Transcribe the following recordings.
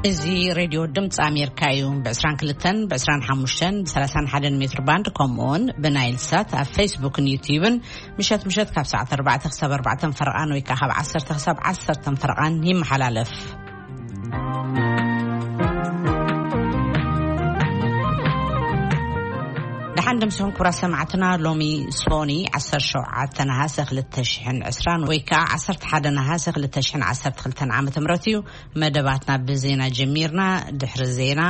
እዚ ሬድዮ ድምፂ ኣሜሪካ እዩ። ብ22፣ ብ25፣ ብ31 ሜትር ባንድ፣ ከምኡውን ብናይል ሳት ኣብ ፌስቡክን ዩትዩብን ምሸት ምሸት ካብ ሰዓት 4 ክሳብ 4 ፈረቓን ወይ ከዓ ካብ 10 ክሳብ 10 ፈረቓን ይመሓላለፍ። ደሓን ድምስኹም ክቡራት ሰማዕትና። ሎሚ ሶኒ 17 ነሃሰ 2020 ወይ ከዓ 11 ነሃሰ 2012 ዓ ም እዩ። መደባትና ብዜና ጀሚርና። ድሕሪ ዜና፣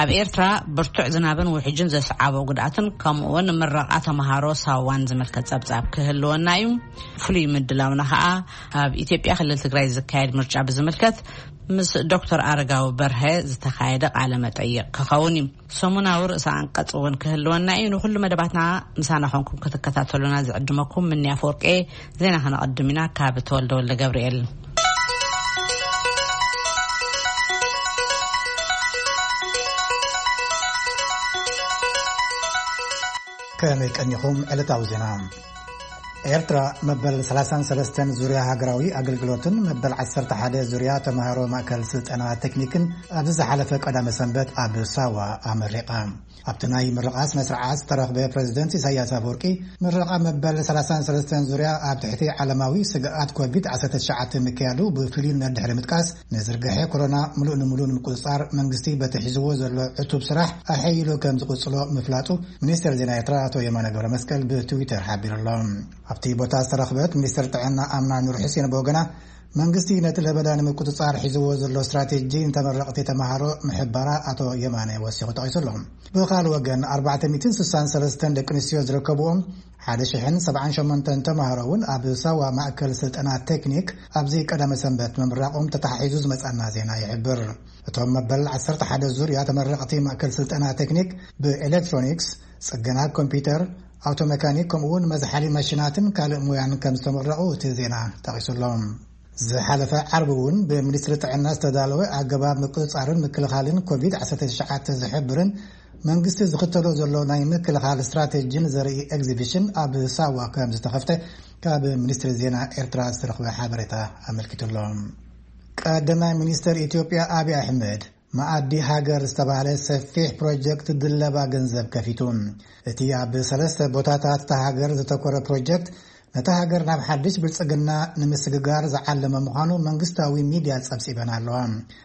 ኣብ ኤርትራ ብርቱዕ ዝናብን ውሕጅን ዘስዓቦ ጉድኣትን ከምኡውን ምረቓ ተምሃሮ ሳዋን ዝምልከት ጸብጻብ ክህልወና እዩ። ፍሉይ ምድላውና ኸኣ ኣብ ኢትዮጵያ ክልል ትግራይ ዝካየድ ምርጫ ብዝምልከት ምስ ዶክተር ኣረጋዊ በርሀ ዝተኻየደ ቃለ መጠይቕ ክኸውን እዩ። ሰሙናዊ ርእሰ ኣንቀጽ እውን ክህልወና እዩ። ንኹሉ መደባትና ምሳና ኾንኩም ክትከታተሉና ዝዕድመኩም ምንያ ፈወርቄ። ዜና ከነቐድም ኢና ካብ ተወልደ ወልደ ገብርኤል። ከመይ ቀኒኹም? ዕለታዊ ዜና። ኤርትራ መበል 33 ዙርያ ሃገራዊ ኣገልግሎትን መበል 11 ዙርያ ተምሃሮ ማእከል ስልጠና ቴክኒክን ኣብዚ ዝሓለፈ ቀዳመ ሰንበት ኣብ ሳዋ ኣመሪቓ። ኣብቲ ናይ ምርቓ ስነ ስርዓት ዝተረኽበ ፕሬዝደንት ኢሳያስ ኣፈወርቂ፣ ምርቓ መበል 33 ዙርያ ኣብ ትሕቲ ዓለማዊ ስግኣት ኮቪድ-19 ምክያዱ ብፍልዩነት ድሕሪ ምጥቃስ፣ ንዝርግሐ ኮሮና ምሉእ ንምሉእ ንምቁጽጻር መንግስቲ በቲ ሒዝዎ ዘሎ ዕቱብ ስራሕ ኣሐይሉ ከም ዝቕጽሎ ምፍላጡ ሚኒስትር ዜና ኤርትራ ኣቶ የማነ ገብረ መስቀል ብትዊተር ሓቢሩ ኣሎ። ኣብቲ ቦታ ዝተረኽበት ሚኒስትር ጥዕና ኣምና ኑር ሕሴን ብወገና፣ መንግስቲ ነቲ ለበዳ ንምቁጽጻር ሒዝዎ ዘሎ ስትራቴጂ ንተመረቕቲ ተምሃሮ ምሕባራ ኣቶ የማነ ወሲኹ ጠቒሱ ኣሎ። ብኻልእ ወገን፣ 463 ደቂ ኣንስትዮ ዝርከብዎም 1,078 ተምሃሮ እውን ኣብ ሳዋ ማእከል ስልጠና ቴክኒክ ኣብዚ ቀዳመ ሰንበት ምምራቖም ተተሓሒዙ ዝመጻና ዜና ይሕብር። እቶም መበል 11 ዙርያ ተመረቕቲ ማእከል ስልጠና ቴክኒክ ብኤሌክትሮኒክስ፣ ጽገና ኮምፒውተር፣ ኣውቶ መካኒክ፣ ከምኡ እውን መዝሓሊ ማሽናትን ካልእ ሙያን ከም ዝተመረቑ እቲ ዜና ጠቒሱ ኣሎ። ዝሓለፈ ዓርቢ እውን ብሚኒስትሪ ጥዕና ዝተዳለወ ኣገባብ ምቁጽጻርን ምክልኻልን ኮቪድ-19 ዝሕብርን መንግስቲ ዝኽተሎ ዘሎ ናይ ምክልኻል ስትራቴጂን ዘርኢ ኤግዚቢሽን ኣብ ሳዋ ከም ዝተኸፍተ ካብ ሚኒስትሪ ዜና ኤርትራ ዝተረኽበ ሓበሬታ ኣመልኪቱ ኣሎ። ቀዳማይ ሚኒስትር ኢትዮጵያ ኣብይ ኣሕመድ፣ መኣዲ ሃገር ዝተባህለ ሰፊሕ ፕሮጀክት ድለባ ገንዘብ ከፊቱ። እቲ ኣብ ሰለስተ ቦታታት እታ ሃገር ዘተኮረ ፕሮጀክት፣ ነታ ሃገር ናብ ሓድሽ ብልጽግና ንምስግጋር ዝዓለመ ምዃኑ መንግስታዊ ሚድያ ጸብጺበን ኣለዋ።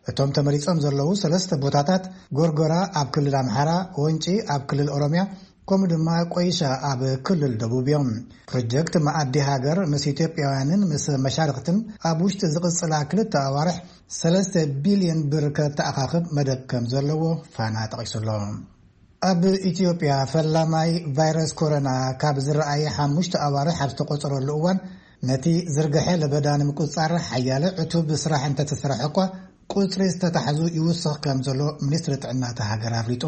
እቶም ተመሪጾም ዘለዉ ሰለስተ ቦታታት፣ ጎርጎራ ኣብ ክልል ኣምሓራ፣ ወንጪ ኣብ ክልል ኦሮምያ፣ ከምኡ ድማ ቆይሻ ኣብ ክልል ደቡብ እዮም። ፕሮጀክት መኣዲ ሃገር ምስ ኢትዮጵያውያንን ምስ መሻርኽትን ኣብ ውሽጢ ዝቕጽላ ክልተ ኣዋርሕ 3 ቢልዮን ብር ከተኣኻኽብ መደብ ከም ዘለዎ ፋና ጠቒሱ ኣሎ። ኣብ ኢትዮጵያ፣ ፈላማይ ቫይረስ ኮሮና ካብ ዝረኣየ ሓሙሽተ ኣዋርሕ ኣብ ዝተቖጸረሉ እዋን፣ ነቲ ዝርግሐ ለበዳ ንምቁጽጻር ሓያለ ዕቱብ ስራሕ እንተተሰርሐ እኳ፣ ቁጽሪ ዝተታሕዙ ይውስኽ ከም ዘሎ ሚኒስትሪ ጥዕና እታ ሃገር ኣፍሊጡ።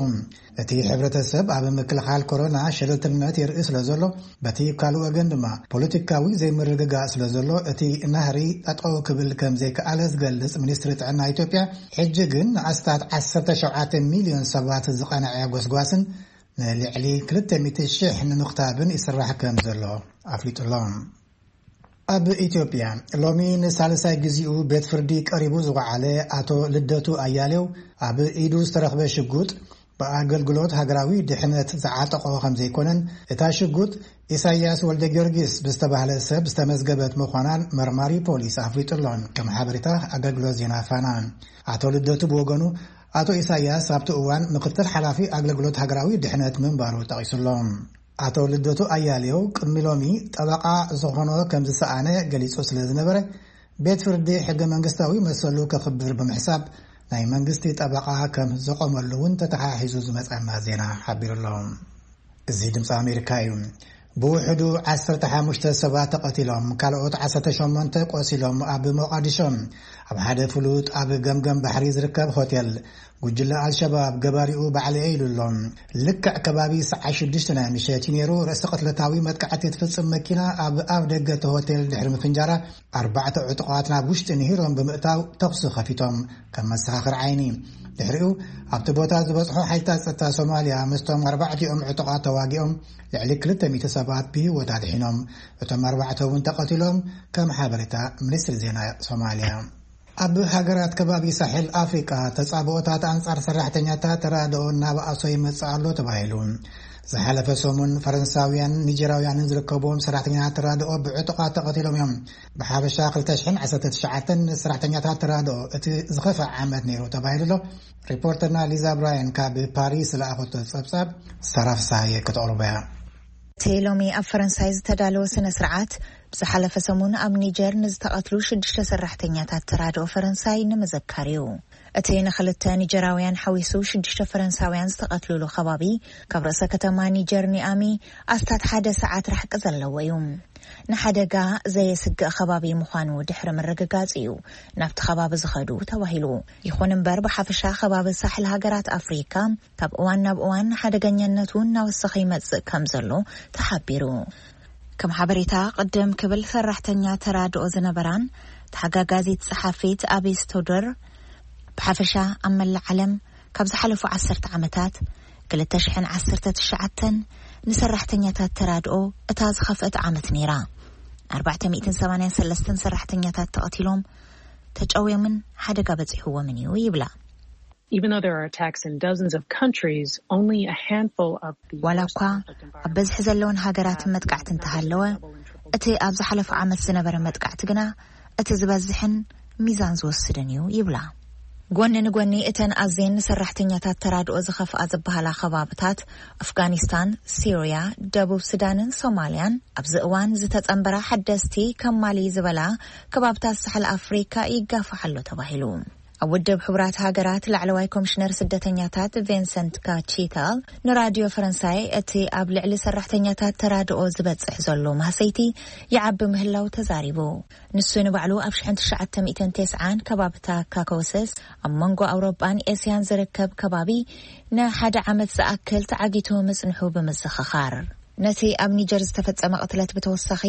እቲ ሕብረተሰብ ኣብ ምክልኻል ኮሮና ሸለልትነት የርኢ ስለ ዘሎ፣ በቲ ካልእ ወገን ድማ ፖለቲካዊ ዘይምርግጋእ ስለ ዘሎ፣ እቲ ናህሪ ጠጠው ክብል ከም ዘይከኣለ ዝገልጽ ሚኒስትሪ ጥዕና ኢትዮጵያ፣ ሕጂ ግን ንኣስታት 17 ሚልዮን ሰባት ዝቐንዐ ጎስጓስን ንልዕሊ 200,000 ንምኽታብን ይስራሕ ከም ዘሎ ኣፍሊጡ ኣሎ። ኣብ ኢትዮጵያ፣ ሎሚ ንሳልሳይ ግዚኡ ቤት ፍርዲ ቀሪቡ ዝወዓለ ኣቶ ልደቱ ኣያሌው፣ ኣብ ኢዱ ዝተረኽበ ሽጉጥ ብኣገልግሎት ሃገራዊ ድሕነት ዝዓጠቖ ከም ዘይኮነን፣ እታ ሽጉጥ ኢሳያስ ወልደ ጊዮርጊስ ብዝተባህለ ሰብ ዝተመዝገበት ምዃናን መርማሪ ፖሊስ ኣፍሊጡ ኣሎ። ከም ሓበሬታ ኣገልግሎት ዜና ፋና፣ ኣቶ ልደቱ ብወገኑ፣ ኣቶ ኢሳያስ ኣብቲ እዋን ምክትል ሓላፊ ኣገልግሎት ሃገራዊ ድሕነት ምንባሩ ጠቒሱ ኣሎ። ኣቶ ልደቱ ኣያሌው ቅድሚ ሎሚ ጠበቓ ዝኾኖ ከም ዝሰኣነ ገሊጹ ስለ ዝነበረ፣ ቤት ፍርዲ ሕገ መንግስታዊ መሰሉ ከኽብር ብምሕሳብ፣ ናይ መንግስቲ ጠበቓ ከም ዘቆመሉ እውን ተተሓሒዙ ዝመጸና ዜና ሓቢሩ ኣሎ። እዚ ድምፂ ኣሜሪካ እዩ። ብውሕዱ 15 ሰባት ተቐቲሎም፣ ካልኦት 18 ቆሲሎም፣ ኣብ ሞቃዲሾ ኣብ ሓደ ፍሉጥ ኣብ ገምገም ባሕሪ ዝርከብ ሆቴል፣ ጉጅለ ኣልሸባብ ገባሪኡ ባዕለየ ኢሉ ኣሎ። ልክዕ ከባቢ ሰዓት ሽዱሽተ ናይ ምሸት እዩ ነይሩ። ርእሰ ቅትለታዊ መጥቃዕቲ ትፍጽም መኪና ኣብ ኣፍ ደገ እቲ ሆቴል ድሕሪ ምፍንጃራ፣ ኣርባዕተ ዕጡቓት ናብ ውሽጢ ንሂሮም ብምእታው ተኹሲ ከፊቶም፣ ከም መሰኻኽር ዓይኒ። ድሕሪኡ፣ ኣብቲ ቦታ ዝበጽሑ ሓይልታት ጸጥታ ሶማልያ ምስቶም ኣርባዕቲኦም ዕጡቓት ተዋጊኦም፣ ልዕሊ 200 ሰባት ብህይወት ኣድሒኖም። እቶም ኣርባዕተ እውን ተቐቲሎም፣ ከም ሓበሬታ ሚኒስትሪ ዜና ሶማልያ። ኣብ ሃገራት ከባቢ ሳሕል ኣፍሪቃ ተጻብኦታት ኣንጻር ሰራሕተኛታት ተራድኦ እናበኣሶ ይመጽእ ኣሎ ተባሂሉ። ዝሓለፈ ሰሙን ፈረንሳውያን፣ ኒጀራውያንን ዝርከብዎም ሰራሕተኛታት ተራድኦ ብዕጡቓት ተቐቲሎም እዮም። ብሓፈሻ ክልተ ሽሕን ዓሰርተ ትሽዓተን ሰራሕተኛታት ተራድኦ እቲ ዝኸፍአ ዓመት ነይሩ ተባሂሉ ኣሎ። ሪፖርተርና ሊዛ ብራያን ካብ ፓሪስ ዝለኣኸቶ ጸብጻብ ሳራ ፍስሃየ ከተቕርቦ እያ። እቲ ሎሚ ኣብ ፈረንሳይ ዝተዳለወ ስነ ስርዓት፣ ብዝሓለፈ ሰሙን ኣብ ኒጀር ንዝተቐትሉ ሽዱሽተ ሰራሕተኛታት ተራድኦ ፈረንሳይ ንምዝካር እዩ። እቲ ንኽልተ ኒጀራውያን ሓዊሱ ሽዱሽተ ፈረንሳውያን ዝተቐትሉሉ ከባቢ፣ ካብ ርእሰ ከተማ ኒጀር ኒኣሚ ኣስታት ሓደ ሰዓት ራሕቂ ዘለዎ እዩ። ንሓደጋ ዘየስግእ ከባቢ ምዃኑ ድሕሪ ምርግጋጽ እዩ ናብቲ ከባቢ ዝኸዱ ተባሂሉ። ይኹን እምበር፣ ብሓፈሻ ከባቢ ሳሕል ሃገራት ኣፍሪካ ካብ እዋን ናብ እዋን ሓደገኛነቱ እናወሰኸ ይመጽእ ከም ዘሎ ተሓቢሩ። ከም ሓበሬታ፣ ቅድም ክብል ሰራሕተኛ ተራድኦ ዝነበራን ተሓጋጋዚት ጸሓፊት ኣቤ ስቶደር፣ ብሓፈሻ ኣብ መላእ ዓለም ካብ ዝሓለፉ ዓሰርተ ዓመታት፣ ክልተ ሽሕን ዓሰርተ ትሽዓተን ንሰራሕተኛታት ተራድኦ እታ ዝኸፍአት ዓመት ነይራ። ኣርባዕተ ሚእትን ሰማንያን ሰለስተን ሰራሕተኛታት ተቐቲሎም፣ ተጨውዮምን ሓደጋ በጺሕዎምን እዩ ይብላ። Even though there are attacks in dozens of countries, only a handful of the ዋላ እኳ ኣብ በዝሒ ዘለውን ሃገራት መጥቃዕቲ እንተሃለወ፣ እቲ ኣብ ዝሓለፈ ዓመት ዝነበረ መጥቃዕቲ ግና እቲ ዝበዝሕን ሚዛን ዝወስድን እዩ ይብላ። ጎኒ ንጎኒ እተን ኣዝየን ንሰራሕተኛታት ተራድኦ ዝኸፍኣ ዝበሃላ ከባብታት፣ ኣፍጋኒስታን፣ ሲርያ፣ ደቡብ ሱዳንን ሶማልያን፣ ኣብዚ እዋን ዝተጸንበራ ሓደስቲ ከም ማሊ ዝበላ ከባብታት ሳሕል ኣፍሪካ ይጋፋሕ ኣሎ ተባሂሉ። ኣብ ውድብ ሕቡራት ሃገራት ላዕለዋይ ኮሚሽነር ስደተኛታት ቪንሰንት ካቺታል ንራድዮ ፈረንሳይ፣ እቲ ኣብ ልዕሊ ሰራሕተኛታት ተራድኦ ዝበጽሕ ዘሎ ማህሰይቲ ይዓቢ ምህላው ተዛሪቡ። ንሱ ንባዕሉ ኣብ ሽሕን ትሽዓተ ሚእትን ተስዓን ከባብታ ካኮሰስ፣ ኣብ መንጎ ኣውሮጳን ኤስያን ዝርከብ ከባቢ ንሓደ ዓመት ዝኣክል ተዓጊቱ ምጽንሑ ብምዝኽኻር፣ ነቲ ኣብ ኒጀር ዝተፈጸመ ቅትለት ብተወሳኺ፣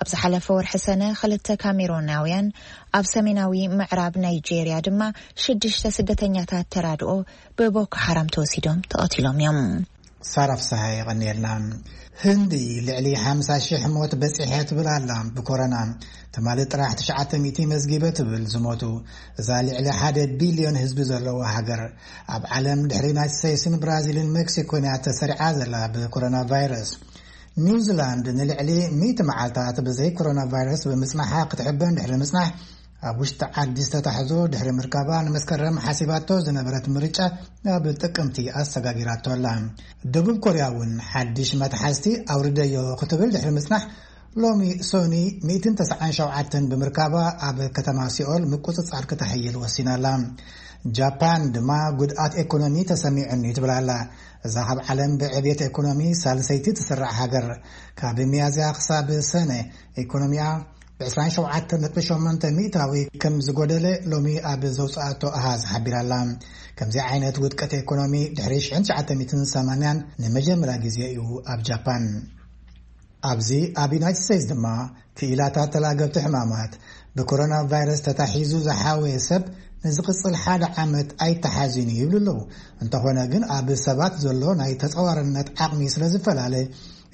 ኣብ ዝሓለፈ ወርሒ ሰነ ክልተ ካሜሮናውያን፣ ኣብ ሰሜናዊ ምዕራብ ናይጄርያ ድማ ሽዱሽተ ስደተኛታት ተራድኦ ብቦኮ ሓራም ተወሲዶም ተቐቲሎም እዮም። ሳራ ፍስሃ የቐንየልና። ህንዲ ልዕሊ ሓምሳ ሺሕ ሞት በጺሐ ትብል ኣላ ብኮሮና። ትማሊ ጥራሕ ትሽዓተ ሚእቲ መዝጊበ ትብል ዝሞቱ። እዛ ልዕሊ ሓደ ቢልዮን ህዝቢ ዘለዋ ሃገር፣ ኣብ ዓለም ድሕሪ ዩናይትድ ስቴትስን ብራዚልን ሜክሲኮን እያ ተሰሪዓ ዘላ ብኮሮና ቫይረስ። ኒውዚላንድ ንልዕሊ ሚእቲ መዓልታት ብዘይ ኮሮና ቫይረስ ብምጽናሓ ክትሕበን ድሕሪ ምጽናሕ፣ ኣብ ውሽጢ ዓዲ ዝተታሕዞ ድሕሪ ምርካባ ንመስከረም ሓሲባቶ ዝነበረት ምርጫ ናብ ጥቅምቲ ኣሰጋጊራቶ ኣላ። ደቡብ ኮርያ እውን ሓድሽ መትሓዝቲ ኣውርደዮ ክትብል ድሕሪ ምጽናሕ፣ ሎሚ ሶኒ ሚእትን ተስዓን ሸውዓተን ብምርካባ ኣብ ከተማ ሲኦል ምቁጽጻር ክተሐይል ወሲና ኣላ። ጃፓን ድማ ጉድኣት ኤኮኖሚ ተሰሚዑኒ ትብል ኣላ። እዛ ካብ ዓለም ብዕብየት ኤኮኖሚ ሳልሰይቲ ትስራዕ ሃገር፣ ካብ ሚያዝያ ክሳብ ሰነ ኤኮኖሚኣ ብ ዕስራን ሸውዓተን ነጥቢ ሸሞንተ ሚእታዊ ከም ዝጎደለ ሎሚ ኣብ ዘውፅኣቶ ኣሃዝ ሓቢራ ኣላ። ከምዚ ዓይነት ውድቀት ኤኮኖሚ ድሕሪ ሽሕን ትሽዓተ ሚእትን ሰማንያን ንመጀመርያ ግዜ እዩ ኣብ ጃፓን። ኣብዚ ኣብ ዩናይትድ ስቴትስ ድማ ክኢላታት ተላገብቲ ሕማማት ብኮሮና ቫይረስ ተታሒዙ ዝሓወየ ሰብ ንዝቕጽል ሓደ ዓመት ኣይተሓዝን እዩ ይብሉ ኣለዉ። እንተኾነ ግን ኣብ ሰባት ዘሎ ናይ ተጸዋርነት ዓቕሚ ስለ ዝፈላለ፣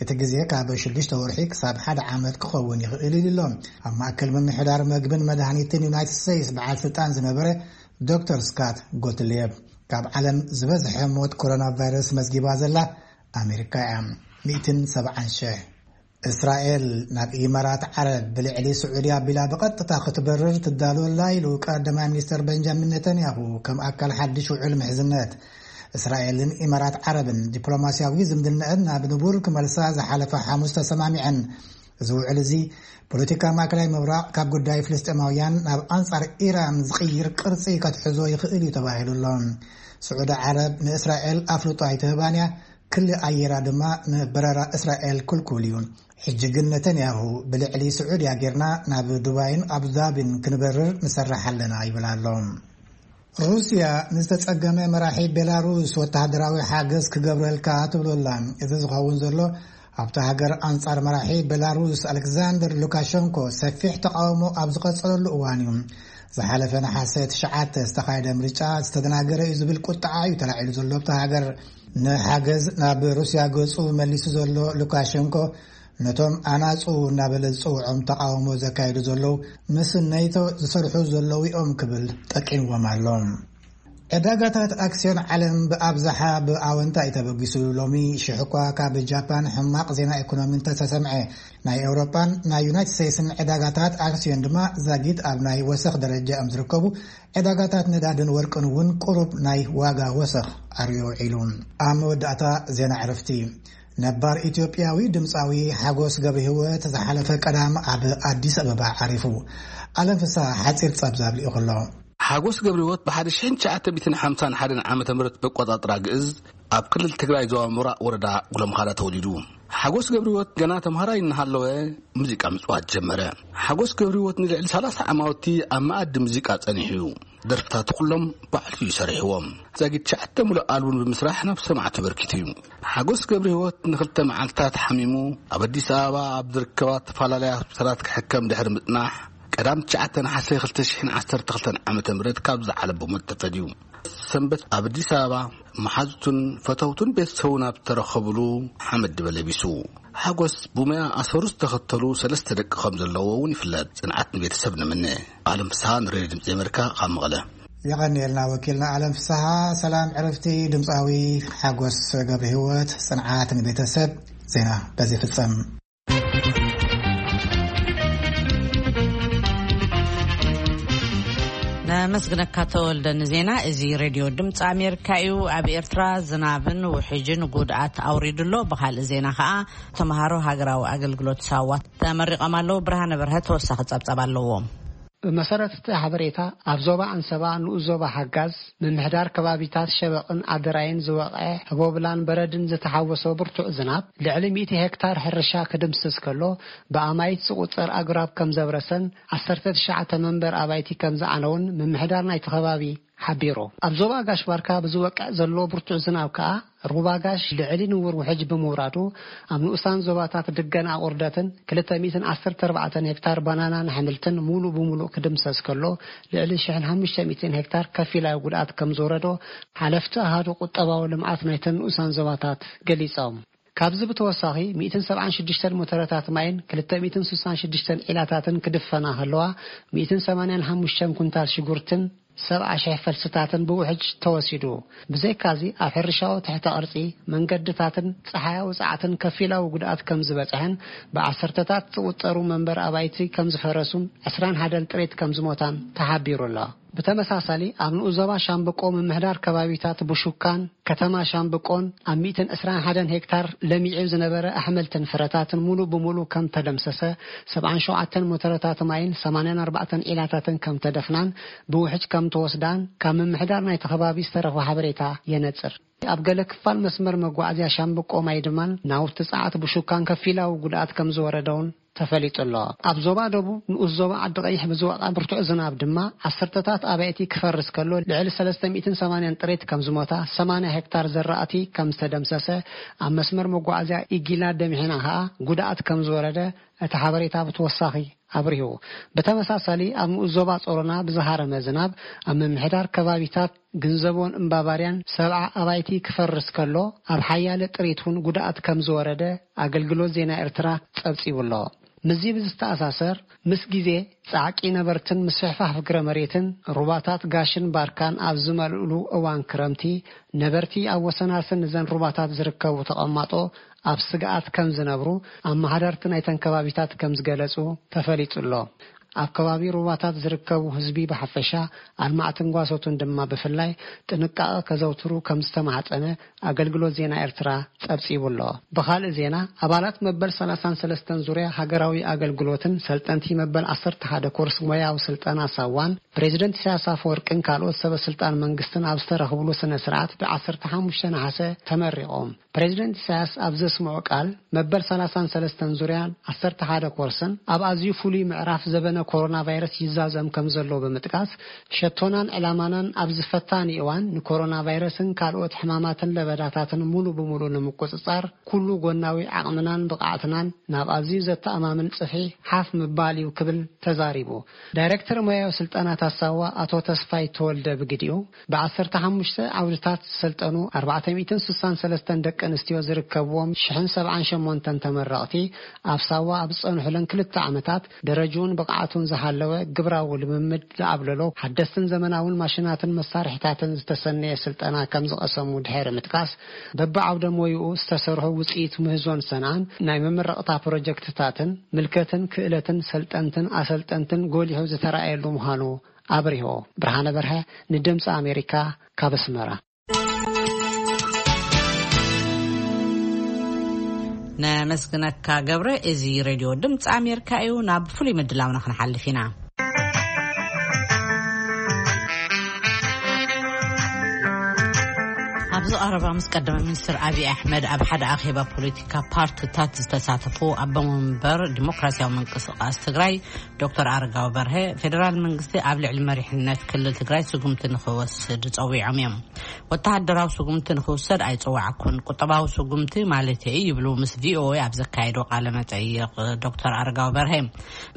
እቲ ግዜ ካብ ሽዱሽተ ወርሒ ክሳብ ሓደ ዓመት ክኸውን ይኽእል ኢሉ ኣሎ። ኣብ ማእከል ምምሕዳር መግብን መድሃኒትን ዩናይትድ ስቴትስ በዓል ስልጣን ዝነበረ ዶክተር ስካት ጎትልየብ፣ ካብ ዓለም ዝበዝሐ ሞት ኮሮና ቫይረስ መዝጊባ ዘላ ኣሜሪካ እያ። ሚእትን ሰብዓን ሽሕ። እስራኤል ናብ ኢማራት ዓረብ ብልዕሊ ስዑዲ ኣቢላ ብቐጥታ ክትበርር ትዳሎ ኣላ ኢሉ ቀዳማይ ሚኒስተር ቤንጃሚን ኔታንያሁ፣ ከም ኣካል ሓድሽ ውዕል ምሕዝነት። እስራኤልን ኢማራት ዓረብን ዲፕሎማስያዊ ዝምድነአን ናብ ንቡር ክመልሳ ዝሓለፈ ሓሙስ ተሰማሚዐን። እዚ ውዕል እዚ ፖለቲካ ማእከላይ ምብራቕ ካብ ጉዳይ ፍልስጤማውያን ናብ ኣንጻር ኢራን ዝቕይር ቅርጺ ከትሕዞ ይኽእል እዩ ተባሂሉ ኣሎ። ስዑዲ ዓረብ ንእስራኤል ኣፍልጦ ኣይትህባን እያ፣ ክሊ ኣየራ ድማ ንበረራ እስራኤል ክልኩል እዩ። ሕጂ ግን ነተንያሁ ብልዕሊ ስዑድያ ጌርና ናብ ዱባይን ኣቡዳቢን ክንበርር ንሰርሕ ኣለና ይብል ኣሎ። ሩስያ ንዝተጸገመ መራሒ ቤላሩስ ወተሃደራዊ ሓገዝ ክገብረልካ ትብሎ ኣላ። እዚ ዝኸውን ዘሎ ኣብታ ሃገር ኣንጻር መራሒ ቤላሩስ ኣሌክዛንደር ሉካሸንኮ ሰፊሕ ተቃውሞ ኣብ ዝቐጸለሉ እዋን እዩ። ዝሓለፈ ነሓሰ ትሽዓተ ዝተኻየደ ምርጫ ዝተደናገረ እዩ ዝብል ቁጥዓ እዩ ተላዒሉ ዘሎ ኣብታ ሃገር። ንሓገዝ ናብ ሩስያ ገጹ መሊሱ ዘሎ ሉካሸንኮ፣ ነቶም ኣናጹ እናበለ ዝጽውዖም ተቓውሞ ዘካየዱ ዘለዉ ምስ ኔቶ ዝሰርሑ ዘለዉ እዮም ክብል ጠቂምዎም ኣሎ። ዕዳጋታት ኣክስዮን ዓለም ብኣብዝሓ ብኣወንታ እዩ ተበጊሱ። ሎሚ ሽሕ እኳ ካብ ጃፓን ሕማቕ ዜና ኢኮኖሚ እንተተሰምዐ፣ ናይ ኤውሮጳን ናይ ዩናይትድ ስቴትስን ዕዳጋታት ኣክስዮን ድማ ዛጊት ኣብ ናይ ወሰኽ ደረጃ እዮም ዝርከቡ። ዕዳጋታት ነዳድን ወርቅን እውን ቁሩብ ናይ ዋጋ ወሰኽ ኣርእዩ ውዒሉ። ኣብ መወዳእታ ዜና ዕረፍቲ። ነባር ኢትዮጵያዊ ድምፃዊ ሓጎስ ገብረ ህይወት ዝሓለፈ ቀዳም ኣብ ኣዲስ ኣበባ ዓሪፉ። ኣለም ፍስሃ ሓፂር ጸብጻብ ልኢኹ ኣሎ። ሓጎስ ገብረ ህይወት ብሓደ ሽሕን ትሽዓተ ሚእትን ሓምሳን ሓደን ዓመተ ምህረት በቆጣጥራ ግእዝ ኣብ ክልል ትግራይ ዞባ ምብራቕ ወረዳ ጉለምኻዳ ተወሊዱ። ሓጎስ ገብረ ህይወት ገና ተምሃራይ እናሃለወ ሙዚቃ ምጽዋት ጀመረ። ሓጎስ ገብረ ህይወት ንልዕሊ ሰላሳ ዓማውቲ ኣብ መኣዲ ሙዚቃ ጸኒሑ እዩ። ደርፍታቱ ኩሎም ባዕሉ እዩ ሰሪሕዎም። ዛጊት ትሽዓተ ሙሉእ ኣልቡም ብምስራሕ ናብ ሰማዕቱ በርኪቱ እዩ። ሓጎስ ገብረ ህይወት ንክልተ መዓልታት ሓሚሙ ኣብ ኣዲስ ኣበባ ኣብ ዝርከባ ዝተፈላለያ ሆስፒታላት ክሕከም ድሕሪ ምጽናሕ፣ ቀዳም ትሽዓተ ነሓሰ ክልተ ሽሕን ዓሰርተ ክልተን ዓመተ ምህረት ካብ ዝዓለም ብሞት ተፈልዩ። ሰንበት ኣብ ኣዲስ ኣበባ መሓዙቱን ፈተውቱን ቤተሰቡን ኣብ ዝተረኸብሉ ሓመድ ድበ ለቢሱ። ሓጎስ ብሞያ ኣሰሩ ዝተኸተሉ ሰለስተ ደቂ ከም ዘለዎ እውን ይፍለጥ። ጽንዓት ንቤተሰብ ንምነ። ኣለም ፍስሃ ንሬድዮ ድምፂ ኣሜሪካ ካብ መቐለ። የቐንየልና ወኪልና ኣለም ፍስሃ። ሰላም ዕረፍቲ ድምፃዊ ሓጎስ ገብረ ህይወት፣ ጽንዓት ንቤተሰብ። ዜና በዚ ፍጸም። ነመስግነካ ተወልደ ንዜና። እዚ ሬድዮ ድምፂ ኣሜሪካ እዩ። ኣብ ኤርትራ ዝናብን ውሕጅን ጉድኣት ኣውሪዱ ኣሎ። ብኻልእ ዜና ከኣ ተምሃሮ ሃገራዊ ኣገልግሎት ሳዋ ተመሪቖም ኣለዉ። ብርሃነ በርሀ ተወሳኺ ጸብጻብ ኣለዎም። ብመሰረት እቲ ሓበሬታ፣ ኣብ ዞባ ኣንሰባ ንኡስ ዞባ ሓጋዝ ምምሕዳር ከባቢታት ሸበቕን ኣደራይን ዝወቕዐ ህቦብላን በረድን ዝተሓወሶ ብርቱዕ ዝናብ ልዕሊ ሚእቲ ሄክታር ሕርሻ ክድምስስ ከሎ፣ ብኣማይት ዝቑጸር ኣግራብ ከም ዘብረሰን ዓሰርተ ትሽዓተ መንበር ኣባይቲ ከም ዝዓነውን ምምሕዳር ናይቲ ከባቢ ሓቢሩ። ኣብ ዞባ ጋሽ ባርካ ብዝወቅዕ ዘሎ ብርቱዕ ዝናብ ከኣ ሩባ ጋሽ ልዕሊ ንቡር ውሕጅ ብምውራዱ፣ ኣብ ንኡሳን ዞባታት ድገን ኣቑርደትን ክልተ ሚእትን ዓሰርተ ኣርባዕተን ሄክታር ባናናን ኣሕምልትን ሙሉእ ብሙሉእ ክድምሰስ ከሎ፣ ልዕሊ ሽሕን ሓሙሽተ ሚእትን ሄክታር ከፊላዊ ጉድኣት ከም ዝወረዶ ሓለፍቲ ኣሃዱ ቁጠባዊ ልምዓት ናይተን ንኡሳን ዞባታት ገሊጾም። ካብዚ ብተወሳኺ፣ ሚእትን ሰብዓን ሽዱሽተን ሞተረታት ማይን ክልተ ሚእትን ስሳን ሽዱሽተን ዒላታትን ክድፈና ከለዋ፣ ሚእትን ሰማንያን ሓሙሽተን ኩንታል ሽጉርትን ሰብዓ ሽሕ ፈልስታትን ብውሕጅ ተወሲዱ። ብዘይካዚ፣ ኣብ ሕርሻዊ ትሕተ ቅርጺ፣ መንገድታትን ጸሓያዊ ጸዓትን ከፊላዊ ጉድኣት ከም ዝበጽሐን ብዓሰርተታት ዝቑጸሩ መንበር ኣባይቲ ከም ዝፈረሱን ዕስራን ሓደን ጥሪት ከም ዝሞታን ተሓቢሩ ኣሎ። ብተመሳሳሊ፣ ኣብ ንኡስ ዞባ ሻምብቆ ምምሕዳር ከባቢታት ቡሹካን ከተማ ሻምብቆን ኣብ ሚእትን ዕስራን ሓደን ሄክታር ለሚዑ ዝነበረ ኣሕምልትን ፍረታትን ሙሉእ ብሙሉእ ከም ተደምሰሰ፣ ሰብዓን ሸውዓተን ሞተረታት ማይን ሰማንያን ኣርባዕተን ዒላታትን ከም ተደፍናን ብውሕጅ ከም ተወስዳን ካብ ምምሕዳር ናይቲ ከባቢ ዝተረኽበ ሓበሬታ የነጽር። ኣብ ገለ ክፋል መስመር መጓዓዝያ ሻምብቆ ማይ ድማን ናውቲ ጸዓት ብሹካን ከፊላዊ ጉድኣት ከም ዝወረደውን ተፈሊጡ ኣሎ። ኣብ ዞባ ደቡብ ንኡስ ዞባ ዓዲ ቀይሕ ብዝወቕዐ ብርቱዕ ዝናብ ድማ ዓሰርተታት ኣባይቲ ክፈርስ ከሎ፣ ልዕሊ ሰለስተ ሚእትን ሰማንያን ጥሪት ከም ዝሞታ፣ ሰማንያ ሄክታር ዘራእቲ ከም ዝተደምሰሰ፣ ኣብ መስመር መጓዓዝያ ኢጊላ ደምሒና ከኣ ጉድኣት ከም ዝወረደ እቲ ሓበሬታ ብተወሳኺ ኣብሪሁ። ብተመሳሳሊ ኣብ ንኡስ ዞባ ጾሮና ብዝሃረመ ዝናብ ኣብ ምምሕዳር ከባቢታት ግንዘቦን እምባባርያን ሰብዓ ኣባይቲ ክፈርስ ከሎ፣ ኣብ ሓያለ ጥሪት እውን ጉድኣት ከም ዝወረደ ኣገልግሎት ዜና ኤርትራ ጸብጺቡ ኣሎ። ምስዚ ብዝተኣሳሰር፣ ምስ ግዜ ጻዕቂ ነበርትን ምስፍሕፋሕ ፍግረ መሬትን ሩባታት ጋሽን ባርካን ኣብ ዝመልእሉ እዋን ክረምቲ፣ ነበርቲ ኣብ ወሰናስን እዘን ሩባታት ዝርከቡ ተቐማጦ ኣብ ስግኣት ከም ዝነብሩ ኣመሓደርቲ ናይተን ከባቢታት ከም ዝገለጹ ተፈሊጡ ኣሎ። ኣብ ከባቢ ሩባታት ዝርከቡ ህዝቢ ብሓፈሻ፣ ኣልማዕትን ጓሶትን ድማ ብፍላይ ጥንቃቐ ከዘውትሩ ከም ዝተማሕጸነ ኣገልግሎት ዜና ኤርትራ ጸብጺቡ ኣሎ። ብኻልእ ዜና፣ ኣባላት መበል ሰላሳን ሰለስተን ዙርያ ሃገራዊ ኣገልግሎትን ሰልጠንቲ መበል ዓሰርተ ሓደ ኮርስ ሞያዊ ስልጠና ሳዋን ፕሬዚደንት ኢሳያስ ኣፈወርቅን ካልኦት ሰበ ስልጣን መንግስትን ኣብ ዝተረኽብሉ ስነ ስርዓት ብ ዓሰርተ ሓሙሽተ ነሓሰ ተመሪቖም። ፕሬዚደንት ኢሳያስ ኣብ ዘስምዖ ቃል፣ መበል ሰላሳን ሰለስተን ዙርያን ዓሰርተ ሓደ ኮርስን ኣብ ኣዝዩ ፍሉይ ምዕራፍ ዘበነ ኮሮና ቫይረስ ይዛዘም ከም ዘሎ ብምጥቃስ፣ ሸቶናን ዕላማናን ኣብዚ ፈታኒ እዋን ንኮሮና ቫይረስን ካልኦት ሕማማትን ለበዳታትን ሙሉ ብሙሉ ንምቁጽጻር ኩሉ ጎናዊ ዓቕምናን ብቕዓትናን ናብ ኣዝዩ ዘተኣማምን ጽፍሒ ሓፍ ምባል እዩ ክብል ተዛሪቡ። ዳይሬክተር ሞያዊ ስልጠናታት ሳዋ ኣቶ ተስፋይ ተወልደ ብግዲኡ፣ ብ15 ዓውድታት ዝሰልጠኑ ኣርባዕተ ሚእትን ስሳን ሰለስተን ደቂ ኣንስትዮ ዝርከብዎም ሽሕን ሰብዓን ሸሞንተን ተመረቕቲ ኣብ ሳዋ ኣብ ዝጸንሑለን ክልተ ዓመታት ደረጅኡን ብቕዓቱን ዝሃለወ ግብራዊ ልምምድ ዝኣብለሎ ሓደስትን ዘመናውን ማሽናትን መሳርሒታትን ዝተሰነየ ስልጠና ከም ዝቐሰሙ ድሕሪ ምጥቃስ፣ በብዓውደ ሞይኡ ዝተሰርሑ ውጽኢት ምህዞን ሰንዓን ናይ መመረቕታ ፕሮጀክትታትን ምልከትን ክእለትን ሰልጠንትን ኣሰልጠንትን ጎሊሑ ዝተራእየሉ ምዃኑ ኣብሪሆ። ብርሃነ በርሀ ንድምፂ ኣሜሪካ ካብ ኣስመራ። ነመስግነካ ገብረ። እዚ ሬድዮ ድምፂ ኣሜሪካ እዩ። ናብ ፍሉይ ምድላውና ክንሓልፍ ኢና። ኣብዚ ቀረባ ምስ ቀዳማይ ሚኒስትር ኣብይ ኣሕመድ ኣብ ሓደ ኣኼባ ፖለቲካ ፓርቲታት ዝተሳተፉ ኣቦ መንበር ዲሞክራሲያዊ ምንቅስቃስ ትግራይ ዶክተር ኣረጋዊ በርሀ፣ ፌደራል መንግስቲ ኣብ ልዕሊ መሪሕነት ክልል ትግራይ ስጉምቲ ንክወስድ ጸዊዖም እዮም። ወተሃደራዊ ስጉምቲ ንክውሰድ ኣይጸዋዕኩን፣ ቁጠባዊ ስጉምቲ ማለት እዩ ይብሉ ምስ ቪኦኤ ኣብ ዘካየዶ ቃለ መጠይቕ ዶክተር ኣረጋዊ በርሀ።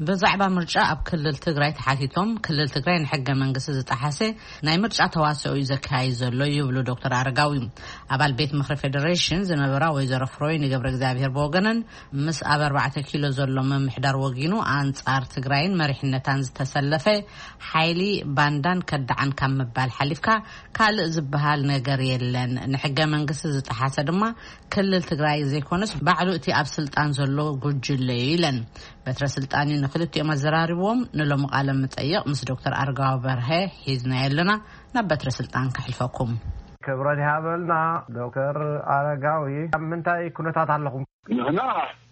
ብዛዕባ ምርጫ ኣብ ክልል ትግራይ ተሓቲቶም፣ ክልል ትግራይ ንሕገ መንግስቲ ዝጠሓሰ ናይ ምርጫ ተዋስኦ እዩ ዘካይድ ዘሎ ይብሉ ዶክተር ኣረጋዊ። ኣባል ቤት ምኽሪ ፌዴሬሽን ዝነበራ ወይዘሮ ፍሮይኒ ገብረ እግዚኣብሔር ብወገነን፣ ምስ ኣብ ኣርባዕተ ኪሎ ዘሎ ምምሕዳር ወጊኑ ኣንጻር ትግራይን መሪሕነታን ዝተሰለፈ ሓይሊ ባንዳን ከዳዓን ካብ ምባል ሓሊፍካ ካልእ ዝበሃል ነገር የለን። ንሕገ መንግስቲ ዝጠሓሰ ድማ ክልል ትግራይ ዘይኮነስ ባዕሉ እቲ ኣብ ስልጣን ዘሎ ጉጅለ እዩ ኢለን። በትረ ስልጣን እዩ ንክልቲኦም ኣዘራሪብዎም። ንሎሚ ቃለ መጠይቕ ምስ ዶክተር ኣረጋዊ በርሀ ሒዝናዮ ኣለና። ናብ በትረ ስልጣን ከሕልፈኩም። ክብረት ይሃበልና። ዶክተር ኣረጋዊ፣ ኣብ ምንታይ ኩነታት ኣለኹም? ንሕና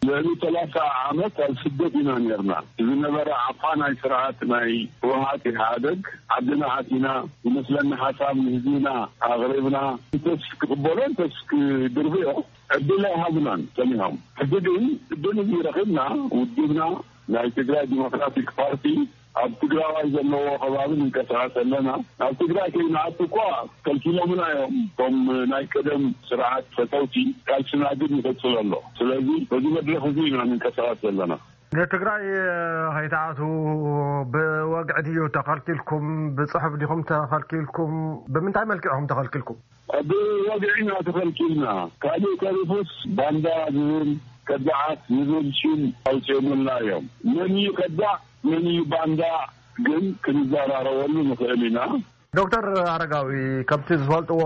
ልዕሊ ሰላሳ ዓመት ኣብ ስደት ኢና ነርና። ዝነበረ ዓፋናይ ስርዓት ናይ ህወሓት ኢህኣደግ ዓድና ኣቲና ዝመስለና ሓሳብ ንህዝብና ኣቕሪብና፣ እንተስ ክቕበሎ እንተስ ክድርብዮ ዕድል ኣይሃቡናን ጸኒሖም። ሕጂ ግን ዕድል እዚ ረኺብና፣ ውድብና ናይ ትግራይ ዲሞክራቲክ ፓርቲ ኣብ ትግራዋይ ዘለዎ ከባቢ ንንቀሳቐስ ኣለና። ኣብ ትግራይ ከይንኣቱ እኳ ከልኪሎምና እዮም። እቶም ናይ ቀደም ስርዓት ፈተውቲ ቃልስና ግን ይቕጽል ኣሎ። ስለዚ በዚ መድረኽ እዚ ኢና ንንቀሳቐስ ዘለና። ንትግራይ ከይትኣትዉ ብወግዒ ድዩ ተኸልኪልኩም? ብጽሑፍ ዲኹም ተኸልኪልኩም? ብምንታይ መልክዕ ኢኹም ተኸልኪልኩም? ብወግዒ ኢና ተኸልኪልና። ካልእ ተሪፉስ ባንዳ ዝብል፣ ከዳዓት ዝብል ሽም ኣውፂኦምልና እዮም። መን እዩ ከዳዕ፣ መን እዩ ባንዳ ግን ክንዘራረበሉ ንኽእል ኢና። ዶክተር ኣረጋዊ፣ ከምቲ ዝፈልጥዎ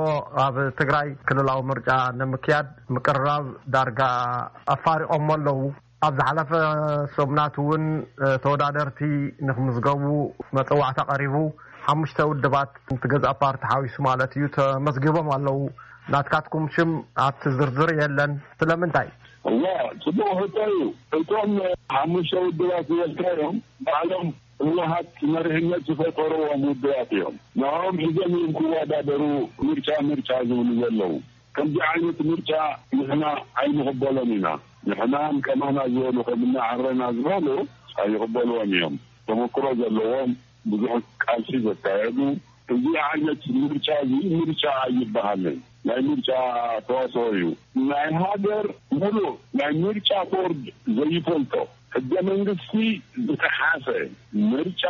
ኣብ ትግራይ ክልላዊ ምርጫ ንምክያድ ምቅርራብ ዳርጋ ኣፋሪቖሞ ኣለዉ። ኣብ ዝሓለፈ ሰሙናት እውን፣ እ፣ ተወዳደርቲ ንክምዝገቡ መጸዋዕታ ቀሪቡ፣ ሓሙሽተ ውድባት፣ እቲ ገዛእ ፓርቲ ሓዊሱ ማለት እዩ፣ ተመዝጊቦም ኣለዉ። ናትካትኩም ሽም ኣብቲ ዝርዝር የለን። ስለምንታይ? እዋ፣ ጽቡቕ ሕቶ እዩ። እቶም ሓሙሽተ ውድባት ዝበልካዮም ባዕሎም ህወሓት መሪሕነት ዝፈጠርዎም ውድባት እዮም። ንዕኦም ሒዞም እዮም ክወዳደሩ ምርጫ ምርጫ ዝብሉ ዘለዉ። ከምዚ ዓይነት ምርጫ ንሕና ኣይንቕበሎን ኢና። ንሕናን ከማና ዝበሉ ከምና ዓረና ዝበሉ ኣይቕበልዎን እዮም። ተመክሮ ዘለዎም፣ ብዙሕ ቃልሲ ዘካየዱ፣ እዚ ዓይነት ምርጫ እዚ ምርጫ ኣይበሃልን። ናይ ምርጫ ተዋስኦ እዩ። ናይ ሃገር ሙሉእ ናይ ምርጫ ቦርድ ዘይፈልጦ፣ ሕገ መንግስቲ ዝጠሓሰ ምርጫ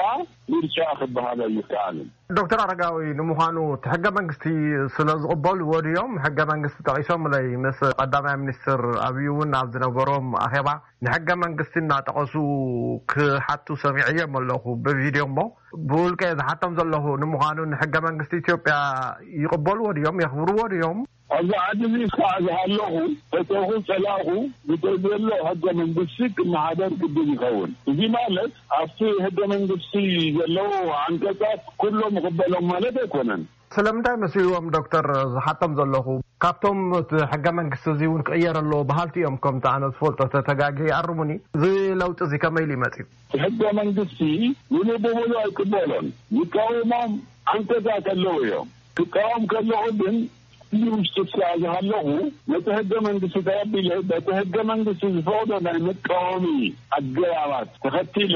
ምርጫ ክበሃል ኣይከኣልን። ዶክተር ኣረጋዊ፣ ንምዃኑ እቲ ሕገ መንግስቲ ስለ ዝቕበልዎ ድዮም ሕገ መንግስቲ ጠቒሶምለይ? ምስ ቀዳማይ ሚኒስትር ኣብይ እውን ኣብ ዝነበሮም ኣኼባ ንሕገ መንግስቲ እናጠቐሱ ክሓቱ ሰሚዐዮም ኣለኹ ብቪድዮ። እሞ ብውልቀ ዝሓቶም ዘለኹ፣ ንምዃኑ ንሕገ መንግስቲ ኢትዮጵያ ይቕበልዎ ድዮም? የኽብርዎ ድዮም? ኣብዚ ዓዲ እዚ እስካዕ ዝሃለኹ፣ ፈተኹ ጸላእኹ፣ ብዘሎ ሕገ መንግስቲ ክመሓደር ግድን ይኸውን። እዚ ማለት ኣብቲ ሕገ መንግስቲ ዘለዉ ዓንቀጻት ኩሎም ይቕበሎም ማለት ኣይኮነን። ስለምንታይ መስልዎም ዶክተር ዝሓቶም ዘለኹ? ካብቶም እቲ ሕገ መንግስቲ እዚ እውን ክቕየር ኣለዎ በሃልቲ እዮም። ከምቲ ኣነ ዝፈልጦ፣ ተተጋጊ ኣርሙኒ። እዚ ለውጢ እዚ ከመይ ኢሉ ይመጽእ? ሕገ መንግስቲ ሙሉእ ብሙሉእ ኣይቅበሎን። ዝቃወሞም ዓንቀጻት ኣለዉ እዮም። ክቃወም ከለኹ ግን እዚ ውሽጢ እስከ ዝሃለኹ፣ ነቲ ሕገ መንግስቲ ተቐቢለ፣ በቲ ሕገ መንግስቲ ዝፈቕዶ ናይ መቃወሚ ኣገባባት ተኸቲለ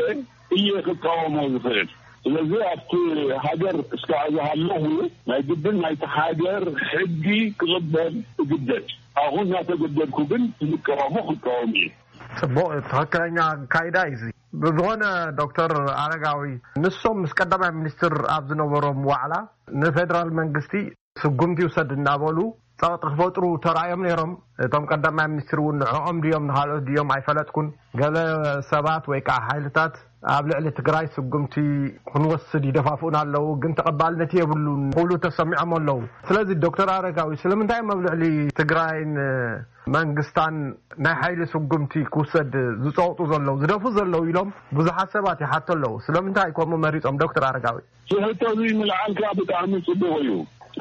እየ ክቃወሞ ዝኽእል። ስለዚ ኣብቲ ሃገር እስከ ዝሃለኹ፣ ናይ ግድን ናይቲ ሃገር ሕጊ ክቕበል እግደድ። ኣብኡ እናተገደድኩ ግን ዝቃወሞ ክቃወም እየ። ጽቡቕ፣ ትኽክለኛ ኣካይዳ እዩ እዚ። ብዝኾነ ዶክተር ኣረጋዊ፣ ንሶም ምስ ቀዳማይ ሚኒስትር ኣብ ዝነበሮም ዋዕላ ንፌደራል መንግስቲ ስጉምቲ ይውሰድ እናበሉ ጸቕጢ ክፈጥሩ ተራእዮም ነይሮም። እቶም ቀዳማይ ሚኒስትር እውን ንዕኦም ድዮም ንኻልኦት ድዮም ኣይፈለጥኩን። ገለ ሰባት ወይ ከዓ ሓይልታት ኣብ ልዕሊ ትግራይ ስጉምቲ ክንወስድ ይደፋፍኡና ኣለዉ፣ ግን ተቐባልነት የብሉን ክብሉ ተሰሚዖም ኣለዉ። ስለዚ ዶክተር ኣረጋዊ፣ ስለምንታይ እዮም ኣብ ልዕሊ ትግራይን መንግስታን ናይ ሓይሊ ስጉምቲ ክውሰድ ዝጸቕጡ ዘለዉ፣ ዝደፍኡ ዘለዉ ኢሎም ብዙሓት ሰባት ይሓቱ ኣለዉ። ስለምንታይ ከምኡ መሪጾም ዶክተር ኣረጋዊ? እቲ ሕቶ እዚ ምልዓልካ ብጣዕሚ ጽቡቕ እዩ።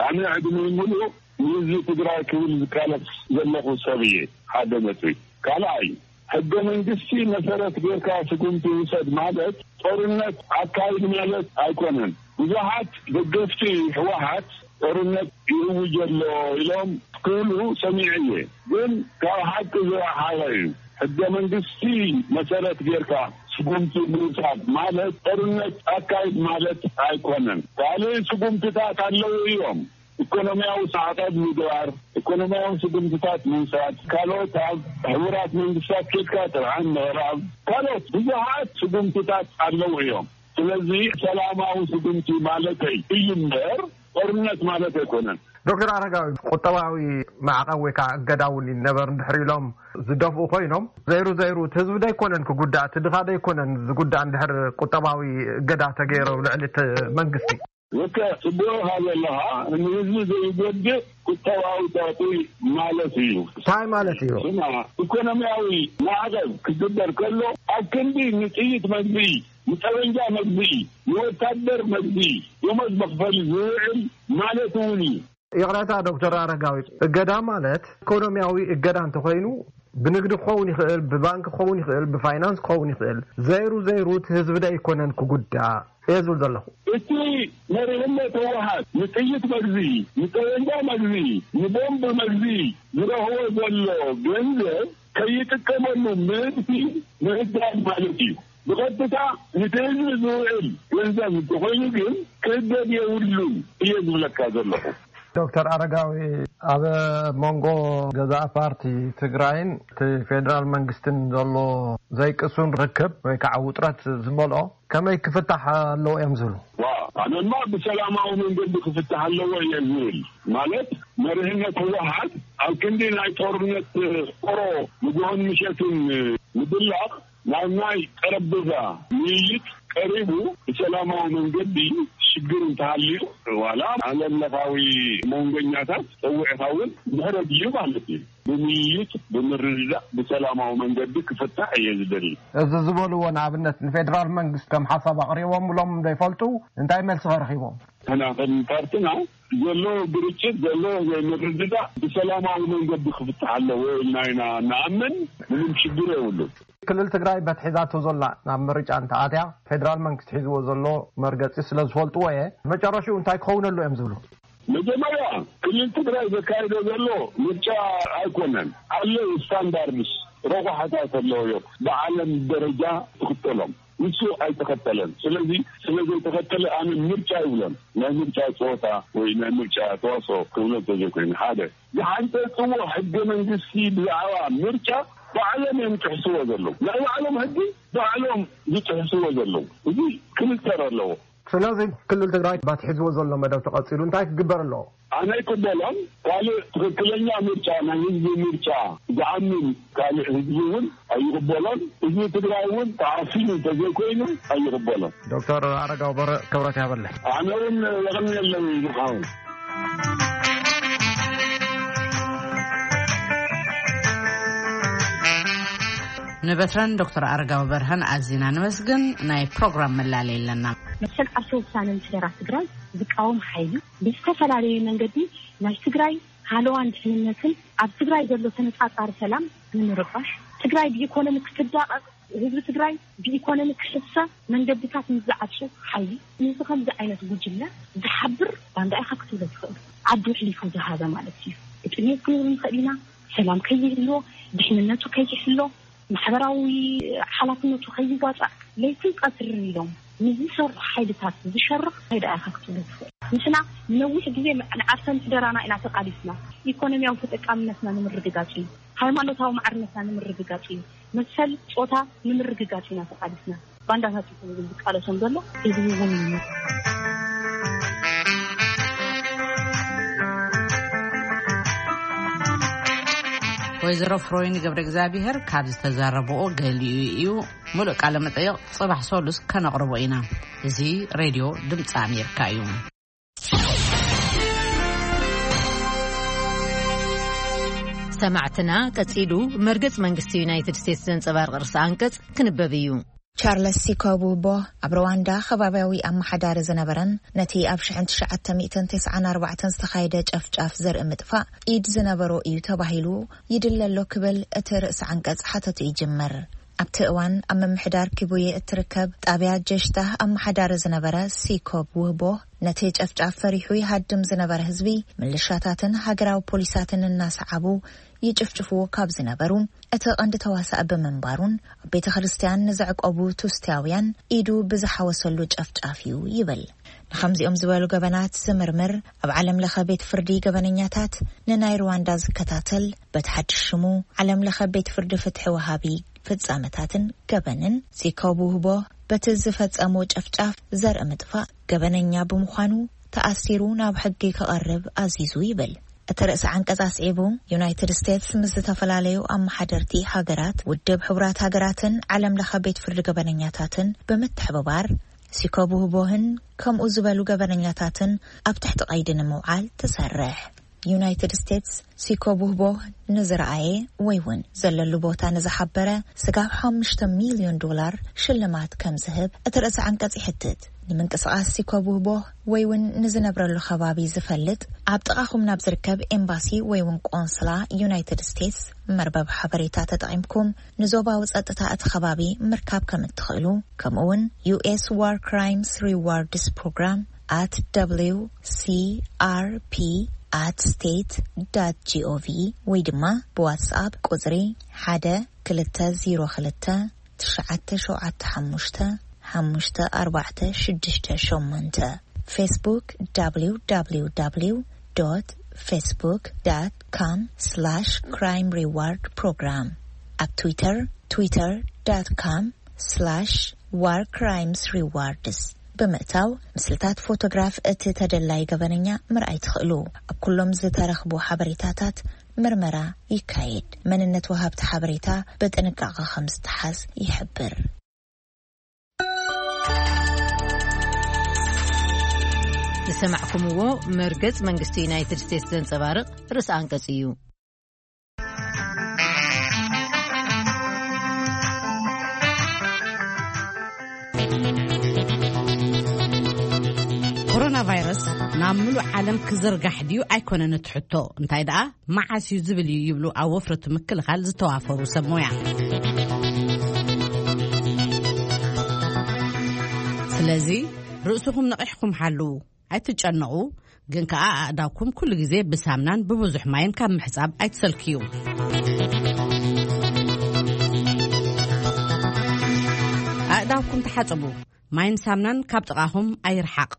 ኣነ ዕድመይ ምሉእ ንህዝቢ ትግራይ ክብል ዝቃለስ ዘለኹ ሰብ እየ። ሓደ ነጥቢ። ካልኣይ፣ ሕገ መንግስቲ መሰረት ጌርካ ስጉምቲ ውሰድ ማለት ጦርነት ኣካይድ ማለት ኣይኮነን። ብዙሓት ደገፍቲ ህወሓት ጦርነት ይእውጅ ኣሎ ኢሎም ክብሉ ሰሚዐ እየ። ግን ካብ ሓቂ ዝረሓቐ እዩ። ሕገ መንግስቲ መሰረት ጌርካ ስጉምቲ ምውሳድ ማለት ጦርነት ኣካይድ ማለት ኣይኮነን። ካልእ ስጉምትታት ኣለዉ እዮም። ኢኮኖሚያዊ ማዕቐብ ምግባር፣ ኢኮኖሚያዊ ስጉምትታት ምውሳድ፣ ካልኦት ኣብ ሕቡራት መንግስታት ኬድካ ጥርዓን ምቕራብ፣ ካልኦት ብዙሓት ስጉምትታት ኣለዉ እዮም። ስለዚ ሰላማዊ ስጉምቲ ማለተይ እዩ እምበር ጦርነት ማለት ኣይኮነን። ዶክተር ኣረጋዊ፣ ቁጠባዊ ማዕቐብ ወይ ከዓ እገዳ እውን ይነበር እንድሕር ኢሎም ዝደፍኡ ኮይኖም፣ ዘይሩ ዘይሩ እቲ ህዝቢ ዶ ኣይኮነን ክጉዳእ፣ እቲ ድኻ ዶ ኣይኮነን ዝጉዳእ እንድሕር ቁጠባዊ እገዳ ተገይሩ ልዕሊ እቲ መንግስቲ? ልክዕ፣ ጽቡቕ ኢኻ ዘለኻ። ንህዝቢ ዘይጎድእ ቁጠባዊ ጸቕጢ ማለት እዩ። እንታይ ማለት እዩ? ስማ፣ ኢኮኖሚያዊ ማዕቐብ ክግበር ከሎ ኣብ ክንዲ ንጥይት መግዝኢ፣ ንጠበንጃ መግዝኢ፣ ንወታደር መግዝኢ፣ ደሞዝ መኽፈሊ ዝውዕል ማለት እውን እዩ። ይቕረታ ዶክተር ኣረጋዊ፣ እገዳ ማለት ኢኮኖሚያዊ እገዳ እንተኾይኑ ብንግዲ ክኸውን ይኽእል፣ ብባንክ ክኸውን ይኽእል፣ ብፋይናንስ ክኸውን ይኽእል። ዘይሩ ዘይሩ እቲ ህዝቢ ዶ ኣይኮነን ክጉዳእ እየ ዝብል ዘለኹ። እቲ መሪሕነት ህወሓት ንጥይት መግዝኢ፣ ንጠበንጃ መግዝኢ፣ ንቦምብ መግዝኢ ዝረኽቦ ዘሎ ገንዘብ ከይጥቀመሉ ምእንቲ ምህዳድ ማለት እዩ። ብቐጥታ ነቲ ህዝቢ ዝውዕል ገንዘብ እንተኾይኑ ግን ክእገድ የብሉን እየ ዝብለካ ዘለኹ። ዶክተር ኣረጋዊ፣ ኣብ መንጎ ገዛኢ ፓርቲ ትግራይን እቲ ፌደራል መንግስትን ዘሎ ዘይቅሱን ርክብ ወይ ከዓ ውጥረት ዝመልኦ ከመይ ክፍታሕ ኣለዎ እዮም ዝብሉ? ዋ፣ ኣነማ ብሰላማዊ መንገዲ ክፍታሕ ኣለዎ እየ ዝብል። ማለት መሪሕነት ህወሓት ኣብ ክንዲ ናይ ጦርነት ቆሮ ንግሆን ምሸትን ምድላቕ ናብ ናይ ጠረጴዛ ምይይጥ ቀሪቡ ብሰላማዊ መንገዲ ሽግር እንተሃልዩ ዋላ ዓለም ለኻዊ መንጎኛታት ጸዊዕኻ እውን ድሕረ ድዩ ማለት እዩ ብምይይጥ ብምርድዳእ ብሰላማዊ መንገዲ ክፍታሕ እየ ዝደሊ። እዚ ዝበልዎ ንኣብነት ንፌደራል መንግስቲ ከም ሓሳብ ኣቕሪቦምሎም ዶ ይፈልጡ? እንታይ መልሲ ከ ረኺቦም? ንሕና ከም ፓርትና ዘሎ ግርጭት ዘሎ ዘይምርድዳእ ብሰላማዊ መንገዲ ክፍታሕ ኣለዎ ኢልና ኢና ንኣምን። ምንም ሽግር የብሉን። ክልል ትግራይ በትሒዛቶ ዘላ ናብ ምርጫ እንተኣትያ ፌደራል መንግስቲ ሒዝዎ ዘሎ መርገፂ ስለ ዝፈልጥዎ እየ። መጨረሽኡ እንታይ ክኸውን ኣሎ እዮም ዝብሉ? መጀመርያ ክልል ትግራይ ዘካይዶ ዘሎ ምርጫ ኣይኮነን። ኣለዉ ስታንዳርድስ ረቑሓታት ኣለዉ እዮም ብዓለም ደረጃ ትኽተሎም። ንሱ ኣይተኸተለን። ስለዚ ስለ ዘይተኸተለ ኣነ ምርጫ ይብሎን ናይ ምርጫ ፀወታ ወይ ናይ ምርጫ ተዋስኦ ክብሎ እንተዘይኮይኑ ሓደ ዝሓንፀፅዎ ሕገ መንግስቲ ብዛዕባ ምርጫ ባዕሎም እዮም ጥሕስዎ ዘለዉ። ናይ ባዕሎም ሕጊ ባዕሎም ዝጥሕስዎ ዘለዉ። እዚ ክምተር ኣለዎ። ስለዚ ክልል ትግራይ ባቲ ሒዝዎ ዘሎ መደብ ተቐፂሉ እንታይ ክግበር ኣለዎ? ኣነ ኣይቅበሎን። ካልእ ትኽክለኛ ምርጫ ናይ ህዝቢ ምርጫ ዝኣምን ካልእ ህዝቢ እውን ኣይቕበሎን። ህዝቢ ትግራይ እውን ተዓፊኑ እንተዘይኮይኑ ኣይቕበሎን። ዶክተር ኣረጋዊ በረ ክብረት ያበለ። ኣነ እውን የቐንየለይ ንሓው። ንበትረን ዶክተር ኣረጋዊ በርሀን ኣዚና ንመስግን። ናይ ፕሮግራም መላለይ ኣለና። መሰል ዓርሰ ውሳነ ንስደራ ትግራይ ዝቃወም ሓይሊ ብዝተፈላለየ መንገዲ ናይ ትግራይ ሃለዋን ድሕንነትን ኣብ ትግራይ ዘሎ ተነፃፃሪ ሰላም ንምርባሽ ትግራይ ብኢኮኖሚ ክትዳቐቕ ህዝቢ ትግራይ ብኢኮኖሚ ክሕሰ መንገድታት ንዝዓጹ ሓይሊ፣ ንዚ ከምዚ ዓይነት ጉጅለ ዝሓብር ባንዳ ኢኻ ክትብሎ ትኽእል። ዓዱ ኣሕሊፉ ዝሃበ ማለት እዩ። ብጥሜት ክንብል ንኽእል ኢና። ሰላም ከይህልዎ፣ ድሕንነቱ ከይሕሎ፣ ማሕበራዊ ሓላፍነቱ ከይዋፃእ ለይትን ቀትርን ኢሎም ንዝሰርሑ ሓይልታት ዝሸርኽ እንታይ ደኣ ኢኻ ክትብሎ ትኽእል? ንሕና ንነዊሕ ግዜ ንዓርሰ ምሕደራና ኢና ተቃሊስና። ኢኮኖሚያዊ ተጠቃምነትና ንምርግጋጽ እዩ። ሃይማኖታዊ ማዕርነትና ንምርግጋጽ እዩ። መሰል ጾታ ንምርግጋጽ ኢና ተቃሊስና። ባንዳታት ይኹን ዝቃለሶም ዘሎ ህዝቢ እውን እዩ። ወይዘሮ ፍሮይን ገብረ እግዚኣብሔር ካብ ዝተዛረብኦ ገሊኡ እዩ። ሙሉእ ቃለ መጠይቕ ጽባሕ ሰሉስ ከነቕርቦ ኢና። እዚ ሬድዮ ድምፂ ኣሜሪካ እዩ። ሰማዕትና፣ ቀጺሉ መርገጽ መንግስቲ ዩናይትድ ስቴትስ ዘንጸባርቕ ርእሰ ኣንቀጽ ክንበብ እዩ። ቻርለስ ሲኮቡቦ ኣብ ሩዋንዳ ከባብያዊ ኣመሓዳሪ ዝነበረን ነቲ ኣብ ሽሕን ትሽዓተ ሚእትን ተስዓን ኣርባዕተን ዝተኻየደ ጨፍጫፍ ዘርኢ ምጥፋእ ኢድ ዝነበሮ እዩ ተባሂሉ ይድለ ኣሎ ክብል እቲ ርእሰ ዓንቀጽ ሓተቱ ይጅምር። ኣብቲ እዋን ኣብ ምምሕዳር ኪቡየ እትርከብ ጣብያ ጀሽታ ኣመሓዳሪ ዝነበረ ሲኮብ ውህቦ ነቲ ጨፍጫፍ ፈሪሑ ይሃድም ዝነበረ ህዝቢ ምልሻታትን ሃገራዊ ፖሊሳትን እናሰዓቡ ይጭፍጭፍዎ ካብ ዝነበሩ እቲ ቀንዲ ተዋሳእ ብምንባሩን ኣብ ቤተ ክርስቲያን ንዘዕቆቡ ቱስቲያውያን ኢዱ ብዝሓወሰሉ ጨፍጫፍ እዩ ይብል። ንኸምዚኦም ዝበሉ ገበናት ዝምርምር ኣብ ዓለም ለኸ ቤት ፍርዲ ገበነኛታት ንናይ ሩዋንዳ ዝከታተል በቲ ሓድሽ ሽሙ ዓለም ለኸ ቤት ፍርዲ ፍትሒ ወሃቢ ፍጻመታትን ገበንን ዚኮብ ውህቦ በቲ ዝፈጸሞ ጨፍጫፍ ዘርኢ ምጥፋእ ገበነኛ ብምዃኑ ተኣሲሩ ናብ ሕጊ ክቐርብ ኣዚዙ ይብል። እቲ ርእሰ ዓንቀጽ ኣስዒቡ፣ ዩናይትድ ስቴትስ ምስ ዝተፈላለዩ ኣመሓደርቲ ሃገራት፣ ውድብ ሕቡራት ሃገራትን ዓለም ለኸ ቤት ፍርዲ ገበነኛታትን ብምትሕብባር ሲኮብ ውህቦህን ከምኡ ዝበሉ ገበነኛታትን ኣብ ትሕቲ ቀይዲ ንምውዓል ትሰርሕ። ዩናይትድ ስቴትስ ሲኮብ ውህቦ ንዝረኣየ ወይ እውን ዘለሉ ቦታ ንዝሓበረ ስጋብ ሓሙሽተ ሚልዮን ዶላር ሽልማት ከም ዝህብ እቲ ርእሰ ዓንቀጽ ይሕትት። ንምንቅስቓስ ሲኮብ ውህቦ ወይ እውን ንዝነብረሉ ከባቢ ዝፈልጥ ኣብ ጥቓኹም ናብ ዝርከብ ኤምባሲ ወይ እውን ቆንስላ ዩናይትድ ስቴትስ መርበብ ሓበሬታ ተጠቒምኩም ንዞባዊ ጸጥታ እቲ ከባቢ ምርካብ ከም እትኽእሉ፣ ከምኡ እውን ዩ ኤስ ዋር ክራይምስ ሪዋርድስ ፕሮግራም ኣት ደብሊው ሲ ኣር ፒ ኣት ስቴት ዳት ጂ ኦ ቪ ወይ ድማ ብዋትስኣፕ ቁጽሪ ሓደ ክልተ ዜሮ ክልተ ትሽዓተ ሸውዓተ ሓሙሽተ ሓሙሽተ ኣርባዕተ ሽዱሽተ ሸሞንተ። ፌስቡክ ደብሊው ደብሊው ደብሊው ዶት ፌስቡክ ዶት ኮም ስላሽ ክራይም ሪዋርድ ፕሮግራም። ኣብ ትዊተር ትዊተር ዶት ኮም ስላሽ ዋር ክራይምስ ሪዋርድስ ብምእታው ምስልታት ፎቶግራፍ እቲ ተደላይ ገበነኛ ምርኣይ ትኽእሉ። ኣብ ኩሎም ዝተረኽቡ ሓበሬታታት ምርመራ ይካየድ። መንነት ወሃብቲ ሓበሬታ ብጥንቃቐ ከም ዝተሓዝ ይሕብር። ዝሰማዕኩምዎ መርገጽ መንግስቲ ዩናይትድ ስቴትስ ዘንጸባርቕ ርእሰ ኣንቀጽ እዩ። ኮሮና ቫይረስ ናብ ምሉእ ዓለም ክዝርጋሕ ድዩ ኣይኮነን እቲ ሕቶ፣ እንታይ ደኣ መዓስ እዩ ዝብል እዩ ይብሉ ኣብ ወፍሪ እቲ ምክልኻል ዝተዋፈሩ ሰብ ሞያ። ስለዚ ርእስኹም ነቒሕኩም ሓልዉ። ኣይትጨነቑ፣ ግን ከኣ ኣእዳውኩም ኩሉ ግዜ ብሳምናን ብብዙሕ ማይን ካብ ምሕጻብ ኣይትሰልክዩ። ኣእዳውኩም ተሓጸቡ። ማይን ሳምናን ካብ ጥቓኹም ኣይርሓቕ።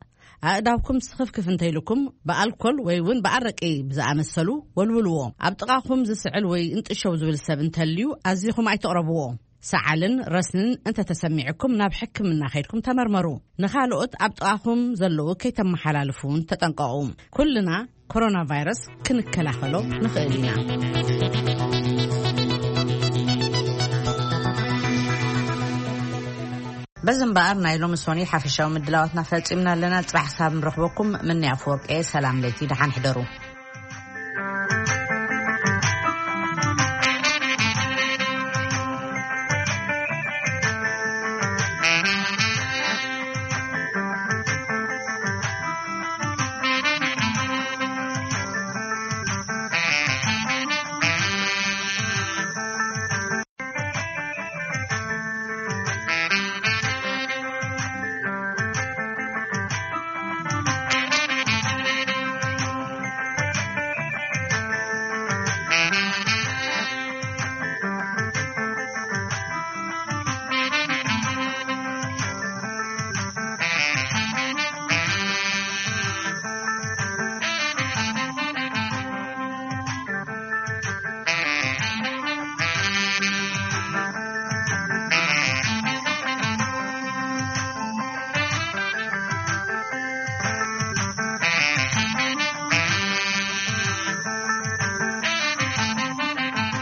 ኣእዳውኩም ስኽፍክፍ እንተይልኩም ብኣልኮል ወይ እውን ብኣረቂ ብዝኣመሰሉ ወልውልዎ። ኣብ ጥቓኹም ዝስዕል ወይ እንጥሸው ዝብል ሰብ እንተልዩ ኣዚኹም ኣይትቕረብዎ። ሰዓልን ረስንን እንተተሰሚዕኩም ናብ ሕክምና ከይድኩም ተመርመሩ። ንኻልኦት ኣብ ጥቓኹም ዘለዉ ከይተመሓላልፉ እውን ተጠንቀቑ። ኩልና ኮሮና ቫይረስ ክንከላኸሎ ንኽእል ኢና። በዚ እምበኣር ናይ ሎሚ ሶኒ ሓፈሻዊ ምድላዋትና ፈጺምና ኣለና። ጽባሕ ክሳብ ንረኽበኩም ምንያ ኣፈወርቂ እየ። ሰላም ለይቲ፣ ደሓን ሕደሩ።